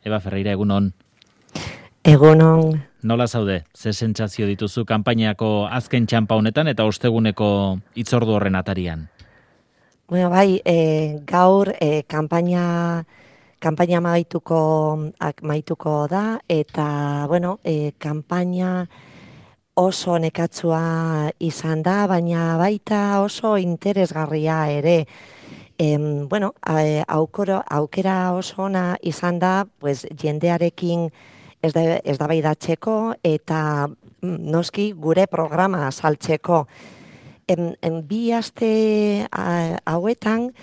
Eba Ferreira, egunon. Egunon. Nola zaude? Ze sentsazio dituzu kanpainako azken txanpa honetan eta osteguneko hitzordu horren atarian? Bueno, bai, gaur kanpaina maituko da eta bueno, kanpaina oso nekatsua izan da, baina baita oso interesgarria ere. Bueno, aukera oso ona izan da, pues jendearekin eztabaidatzeko eta noski gure programa saltzeko. Bi aste hauetan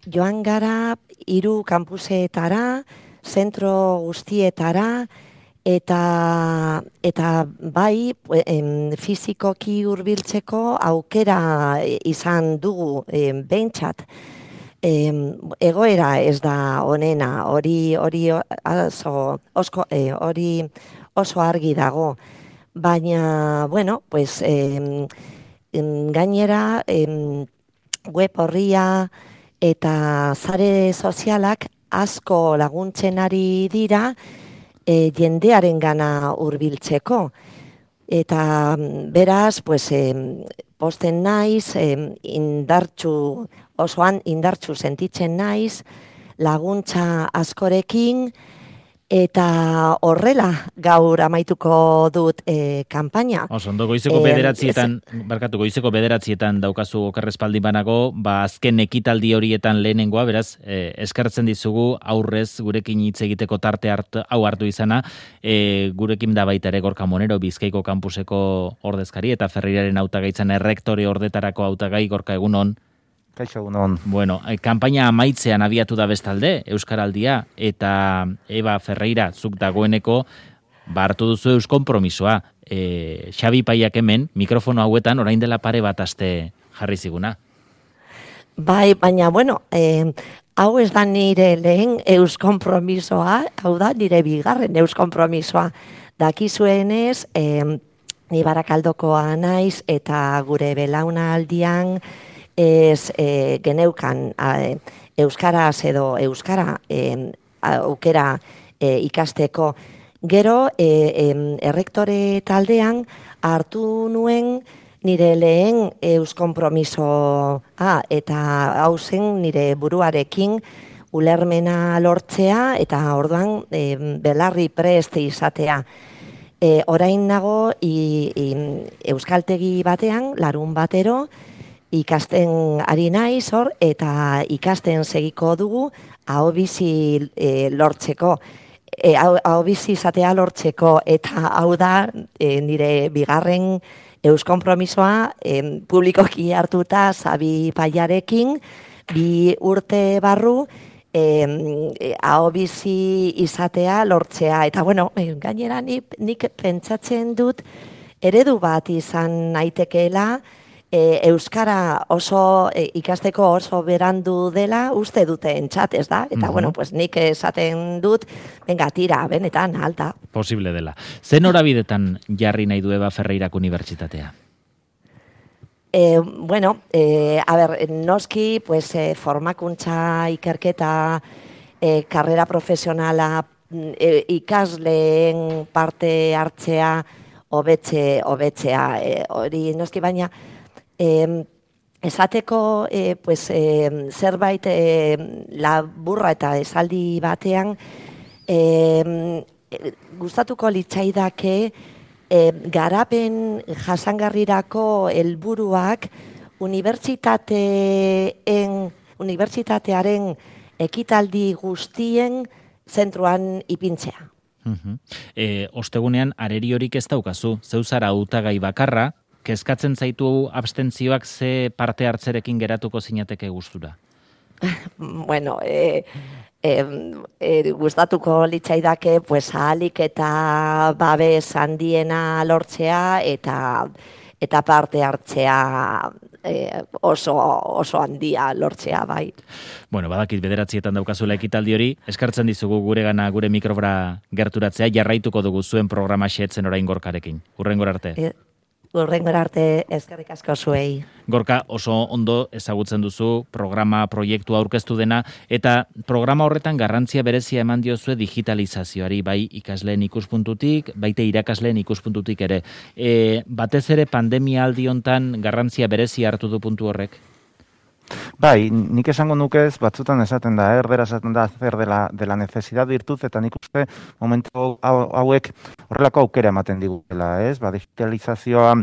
joan gara 3 kampusetara, zentro guztietara, eta bai fizikoki hurbiltzeko aukera izan dugu behintzat. Egoera ez da onena, hori oso argi dago, baina bueno, pues gainera web horria eta sare sozialak asko laguntzen ari dira jendearen gana hurbiltzeko. Eta beraz, pues, posten naiz, osoan indartsu sentitzen naiz, laguntza askorekin, eta horrela gaur amaituko dut kanpaina. Ondo, goizeko bederatzietan daukazu okerrespaldi banago, azken ekitaldi horietan lehenengoa, beraz, eskertzen dizugu aurrez gurekin hitz egiteko tarte hau hartu izana, gurekin da baita ere Gorka Monero, Bizkaiko kampuseko ordezkari, eta Ferreiraren hautagaitzan errektore ordetarako hautagai. Gorka, egunon. Kaixo, egunon. Bueno, kanpaina amaitzean abiatu da bestalde, Euskaraldia, eta Eba Ferreira, zuk dagoeneko, hartu duzu euskonpromisoa. Xabi Paiak hemen, mikrofono hauetan, orain dela pare bat aste jarri ziguna. Bai, baina, bueno, hau ez da nire lehen euskonpromisoa, hau da nire bigarren euskonpromisoa. Dakizuenez, ni Barakaldokoa naiz, eta gure belaunaldian geneukan euskaraz edo euskara aukera ikasteko. Gero, errektore taldean hartu nuen nire lehen euskonpromisoa eta hau zen nire buruarekin ulermena lortzea eta orduan belarri prest izatea. Orain nago euskaltegi batean, larun batero, ikasten ari naiz hor, eta ikasten segiko dugu ahobizi lortzeko. Ahobizi izatea lortzeko, eta hau da nire bigarren euskonpromisoa publikoki hartuta Xabi Paiarekin 2 urte barru ahobizi izatea lortzea. Eta bueno, gainera nik pentsatzen dut eredu bat izan naitekeela, euskara oso ikasteko oso berandu dela uste dutentzat, ez da? Eta bueno, pues nik esaten dut, venga, tira, benetan, alta. Posible dela. Zen norabidetan jarri nahi du Eba Ferreirak unibertsitatea? Bueno, noski, pues, formakuntza ikerketa, karrera profesionala, ikasleen parte hartzea, hobetzea, hori noski, baina esateko pues, zerbait laburra eta esaldi batean gustatuko litzaidake garapen jasangarrirako helburuak unibertsitatearen ekitaldi guztien zentruan ipintzea. Ostegunean areriorik ez daukazu, zeu zara hautagai bakarra, kezkatzen zaitu abstentzioak ze parte hartzerekin geratuko zinateke gustura? Bueno, gustatuko litzaidake pues ahalik eta babes handiena lortzea eta parte hartzea oso handia lortzea, bai. Bueno, badakit 9:00 daukazula ekitaldi hori, eskartzen dizugu guregana gure mikrofora gerturatzea, jarraituko dugu zuen programa xeetzen orain Gorkarekin. Hurrengora arte. Hurrengora arte eskerrik asko zuei. Gorka, oso ondo ezagutzen duzu programa proiektu aurkeztu dena, eta programa horretan garrantzia berezia eman diozue digitalizazioari, bai ikasleen ikuspuntutik, baite irakasleen ikuspuntutik ere. Batez ere pandemia aldi hontan garrantzia berezia hartu du puntu horrek? Bai, nik esango nukez, batzutan esaten da, erdera esaten da, zer de la necesidad virtud, eta nik uste momentu hauek horrelako aukera ematen digutela, ez? Digitalizazioa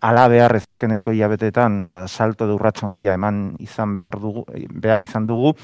ala behar ezkeneko hilabetetan salto de urratxo eman behar izan dugu,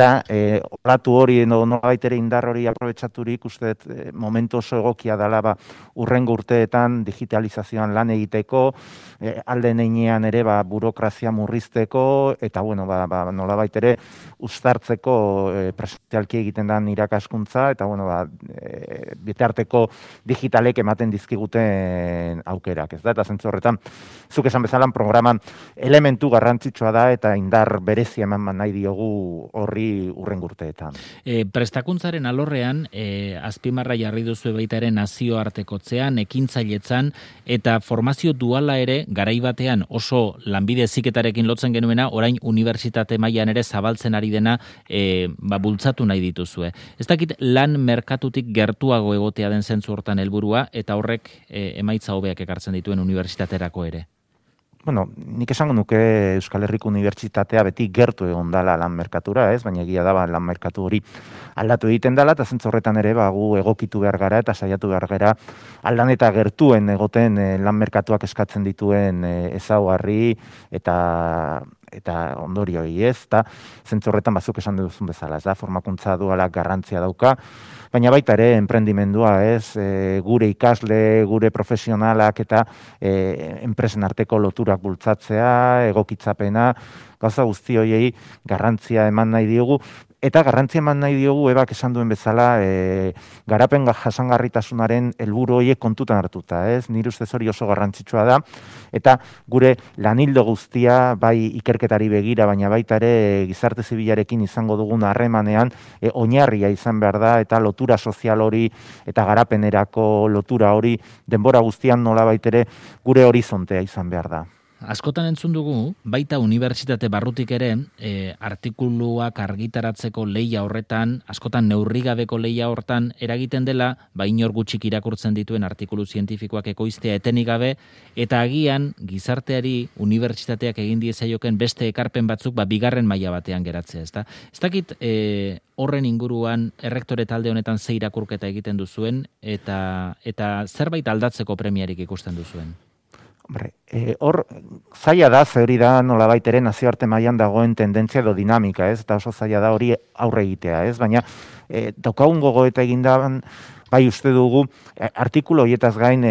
olatu hori, nolabait ere indar hori aprobetxaturik, uste momentu oso egokia dela urrengo urteetan digitalizazioan lan egiteko, alde neinean ere burokrazia murrizteko, eta nolabait ere uztartzeko presentzialki egiten den irakaskuntza, eta bitarteko digitalek ematen dizkiguten aukerak, ez da? Eta zentzu horretan, zuk esan bezalan programan elementu garrantzitsua da, eta indar berezia eman nahi diogu horri urrengo urteetan. Prestakuntzaren alorrean, azpimarra jarri duzu baita ere nazioartekotzean, ekintzailetzan, eta formazio duala ere, garai batean oso lanbide heziketarekin lotzen genuena, orain unibertsitate mailan ere zabaltzen ari dena bultzatu nahi dituzue. Ez dakit lan merkatutik gertuago egotea den zentzu hortan helburua, eta horrek emaitza hobeak ekartzen dituen unibertsitaterako ere. Bueno, nik esango nuke Euskal Herriko Unibertsitatea beti gertu egon dala lan merkatura, ez? Baina egia da lan merkatu hori aldatu egiten dela, eta zentzu horretan ere gu egokitu behar gara eta saiatu behar gara aldan eta gertuen egoten lan merkatuak eskatzen dituen ezaugarri eta ondorioi, ez? Eta zentzu horretan bazuk esan duzun bezala, ez da? Formakuntza duala garrantzia dauka, baina baita ere enprendimendua, ez? Gure ikasle, gure profesionalak eta enpresen arteko loturak bultzatzea, egokitzapena, gauza guzti horiei garrantzia eman nahi diogu, eta garrantzia eman nahi diogu ebak esan duen bezala garapen jasangarritasunaren helburu horiek kontutan hartuta, ez? Nire ustez hori oso garrantzitsua da, eta gure lanildo guztia, bai ikerketari begira, baina baita ere gizarte zibilarekin izango dugun harremanean, oinarria izan behar da, eta lotura sozial hori, eta garapenerako lotura hori, denbora guztian nolabait ere gure horizontea izan behar da. Askotan entzun dugu, baita unibertsitate barrutik ere, artikuluak argitaratzeko lehia horretan, askotan neurrigabeko lehia hortan, eragiten dela, inor gutxik irakurtzen dituen artikulu zientifikoak ekoiztea etenik gabe, eta agian, gizarteari unibertsitateak egin diezaioken beste ekarpen batzuk, bigarren maila batean geratzea, ezta? Ez dakit, horren inguruan, errektore talde honetan ze irakurketa egiten duzuen, eta zerbait aldatzeko premiarik ikusten duzuen? Hor, zaila da, hori da nolabait ere nazioarte mailan dagoen tendentzia edo dinamika, ez? Eta oso zaila da hori aurre egitea, ez? Baina daukagun gogoeta egindaban, bai uste dugu, artikulu horietaz gain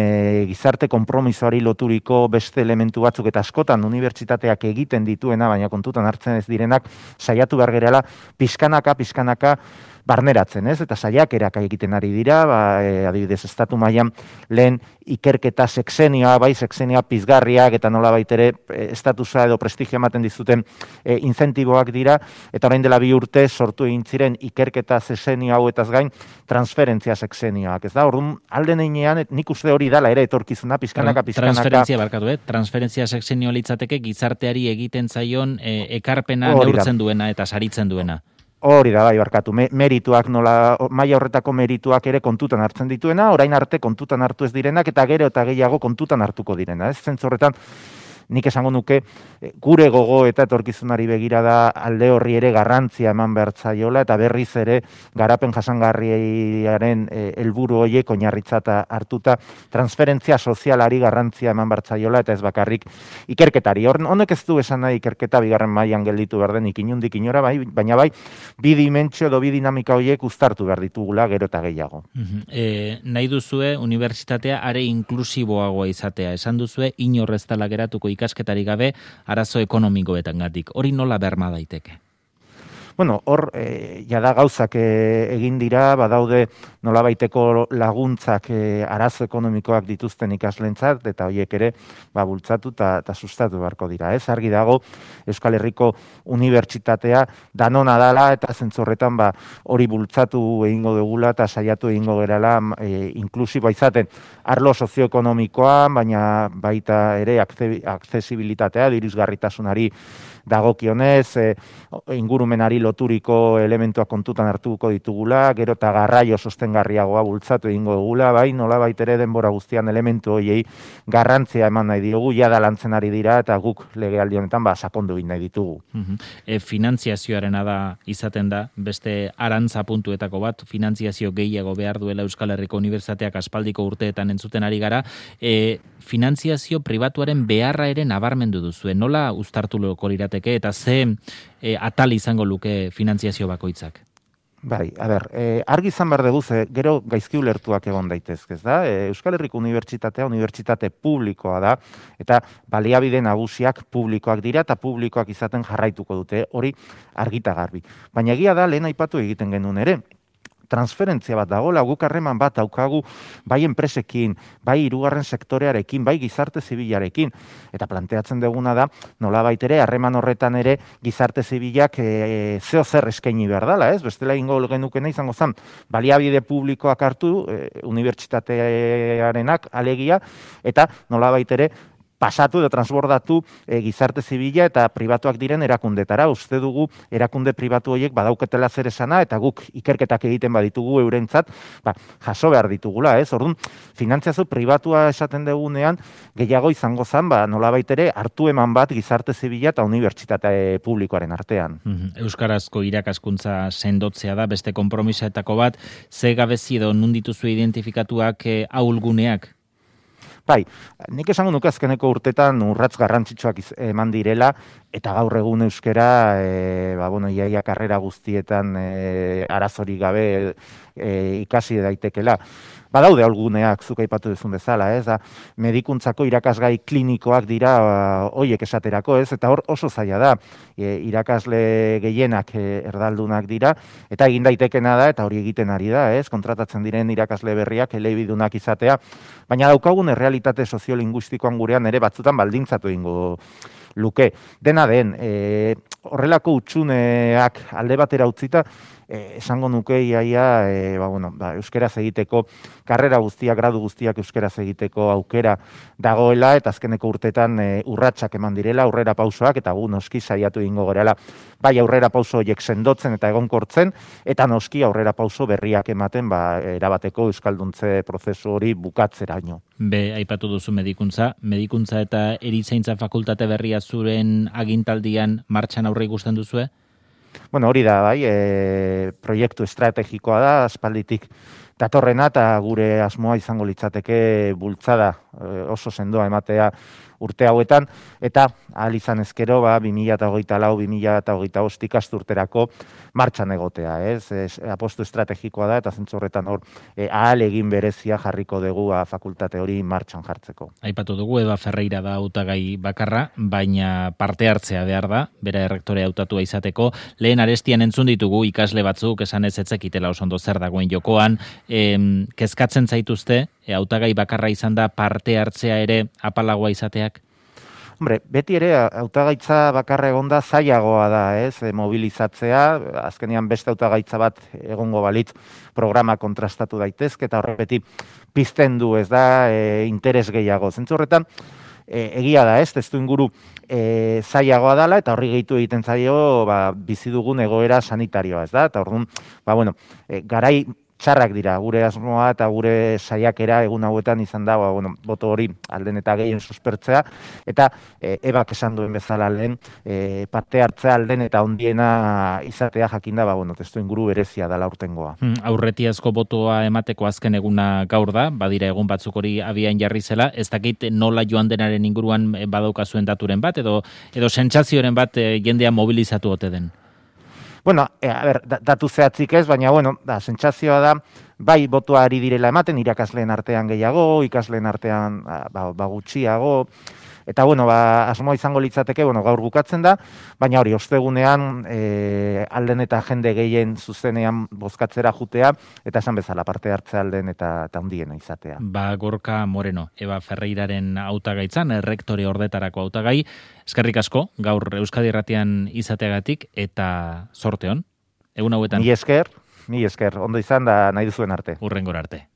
gizarte konpromisoari loturiko beste elementu batzuk eta askotan unibertsitateak egiten dituena, baina kontutan hartzen ez direnak, saiatu behar gerela, pixkanaka, barneratzen, ez? Eta saiakerak egiten ari dira, adibidez, estatu mailan lehen ikerketa sexenioa, sexenioa pizgarriak eta nolabait ere estatusa edo prestigio ematen dizuten incentiboak dira, eta orain dela 2 urte sortu egin ziren ikerketa sexenio hauetaz gain transferentzia sexenioak, ez da? Orduan, alde neinean, nik uste hori dala ere etorkizuna, pizkanaka. Transferentzia sexenio litzateke gizarteari egiten zaion ekarpena neurtzen duena eta saritzen duena. Hori da, barkatu, merituak maila horretako merituak ere kontutan hartzen dituena, orain arte kontutan hartu ez direnak, eta gero eta gehiago kontutan hartuko direna. Ez zentzu horretan, nik esango nuke, gure gogo eta etorkizunari begira da alde horri ere garrantzia eman behar zaiola, eta berriz ere garapen jasangarriaren helburu horiek oinarritzat hartuta transferentzia sozialari garrantzia eman behar zaiola, eta ez bakarrik ikerketari. Honek ez du esan nahi ikerketa bigarren mailan gelditu behar denik inundik inora, baina bi dimentsio edo bi dinamika horiek uztartu behar ditugula gero eta gehiago. Nahi duzue unibertsitatea are inklusiboagoa izatea. Esan duzue inor ez dela geratuko ikasketari gabe arazo ekonomikoetangatik. Hori nola berma daiteke? Bueno, hor, jada gauzak egin dira, badaude nolabaiteko laguntzak arazo ekonomikoak dituzten ikaslentzat, eta horiek ere bultzatu eta sustatu beharko dira. Ez argi dago Euskal Herriko Unibertsitatea danona dala, eta zentzorretan hori bultzatu egingo dugula eta saiatu egingo gerala inklusiboa izaten arlo sozioekonomikoan, baina baita ere aksesibilitatea, dirisgarritasunari dagokionez, ingurumenari loturiko elementuak kontutan hartuko ditugula, gero eta garraio sostengarriagoa bultzatu egingo dugula, bai, nolabait ere denbora guztian elementu horiei garrantzia eman nahi diogu, jada lantzen ari dira, eta guk legealdi honetan sakondu egin nahi ditugu. Finantziazioarena da izaten da, beste arantza puntuetako bat, finantziazio gehiago behar duela Euskal Herriko Unibertsitateak aspaldiko urteetan entzuten ari gara, finantziazio pribatuaren beharra ere nabarmendu duzue, nola uztartu loko lirateke eta ze atal izango luke finantziazio bakoitzak? Bai, argi izan behar dugu, gero gaizki ulertuak egon daitezke, ez da? Euskal Herriko Unibertsitatea unibertsitate publikoa da, eta baliabide nagusiak publikoak dira, eta publikoak izaten jarraituko dute, hori argita garbi. Baina egia da, lehen aipatu egiten genuen ere, transferentzia bat dagoela, guk harreman bat daukagu bai enpresekin, bai hirugarren sektorearekin, bai gizarte zibilarekin, eta planteatzen duguna da, nolabait ere, harreman horretan ere gizarte zibilak zeo zer eskaini behar dela, ez? Bestela ingo genukena izango zen, baliabide publikoak hartu, unibertsitatearenak alegia, eta nolabait ere, pasatu edo transbordatu gizarte zibila eta pribatuak diren erakundetara. Uste dugu erakunde pribatu horiek badauketela zer esana eta guk ikerketak egiten baditugu eurentzat, jaso behar ditugula, ez? Orduan, finantziazio pribatua esaten dugunean gehiago izango zen, nolabait ere hartu eman bat gizarte zibila eta unibertsitate publikoaren artean. Euskarazko irakaskuntza sendotzea da beste konpromisoetako bat, ze gabezi edo nundituzu identifikatuak ahulguneak? Bai, nik esango nuke azkeneko urtetan urratz garrantzitsuak eman direla, eta gaur egun euskera, iaia karrera guztietan arazorik gabe ikasi daitekela. Badaude alguneak zuk aipatu duzun bezala, ez? Medikuntzako irakasgai klinikoak dira hoiek esaterako, ez? Eta hor oso zaila da. Irakasle gehienak erdaldunak dira, eta egin daitekena da, eta hori egiten ari da, ez? Kontratatzen diren irakasle berriak elebidunak izatea, baina daukagun errealitate soziolinguistikoan gurean ere batzutan baldintzatu egingo luke. Dena den, horrelako utxuneak alde batera utzita, esango nuke iaia euskeraz egiteko, karrera guztiak, gradu guztiak euskeraz egiteko aukera dagoela, eta azkeneko urtetan urratsak eman direla, aurrera pausoak, eta gu noski saiatu egingo gerela, bai aurrera pauso horiek sendotzen eta egonkortzen, eta noski aurrera pauso berriak ematen, erabateko euskalduntze prozesu hori bukatzeraino. Aipatu duzu medikuntza eta erizaintza fakultate berria zuren agintaldian martxan aurre ikusten duzue? Bueno, hori da, bai, proiektu estrategikoa da, aspalditik datorrena, eta gure asmoa izango litzateke bultzada oso sendoa ematea urte hauetan, eta ahal izan ezkero 2024-2025 ikasturterako martxan egotea, ez? Apostu estrategikoa da, eta zentzu horretan hor ahal egin berezia jarriko dugu fakultate hori martxan jartzeko. Aipatu dugu, Eva Ferreira da hautagai bakarra, baina parte hartzea behar da, bera errektore hautatua izateko. Lehen arestian entzun ditugu ikasle batzuk, esan ez etzekitela oso ondo zer dagoen jokoan, kezkatzen zaituzte, hautagai bakarra izan da parte hartzea ere apalagoa izateak? Hombre, beti ere hautagaitza bakarra egonda zailagoa da, ez? Mobilizatzea, azkenean beste hautagaitza bat egongo balitz programa kontrastatu daitezke, eta horrepeti pizten du, ez da, interes gehiago. Zentzu horretan, egia da, ez? Testu inguru zailagoa dela, eta horri gehitu egiten zaio bizi dugun egoera sanitarioa, ez da? Eta orduan, garai txarrak dira, gure asmoa eta gure saiakera egun hauetan izan da, boto hori alden eta gehien suspertzea, eta ebak esan duen bezala lehen, parte hartzea alden eta ondiena izatea jakinda, testu inguru berezia dela urtengoa. Aurretiazko botoa emateko azken eguna gaur da, badira egun batzuk hori abian jarri zela, ez dakit nola joan denaren inguruan badaukazuen daturen bat, edo sentsazioren bat jendea mobilizatu ote den? Bueno, datu zehatzik ez, baina, sentsazioa da, bai botoa ari direla ematen, irakasleen artean gehiago, ikasleen artean gutxiago, Eta, bueno, asmoa izango litzateke, bueno, gaur bukatzen da, baina hori, ostegunean, alden eta jende gehien zuzenean bozkatzera jutea, eta esan bezala parte hartze alden eta handiena izatea. Gorka Moreno, Eva Ferreiraren hautagaitzan, errektore ordetarako hautagai, eskerrik asko, gaur Euskadi Irratian izateagatik, eta zorte hon, egun hauetan. Mi esker, ondo izan da nahi duzuen arte. Hurrengora arte.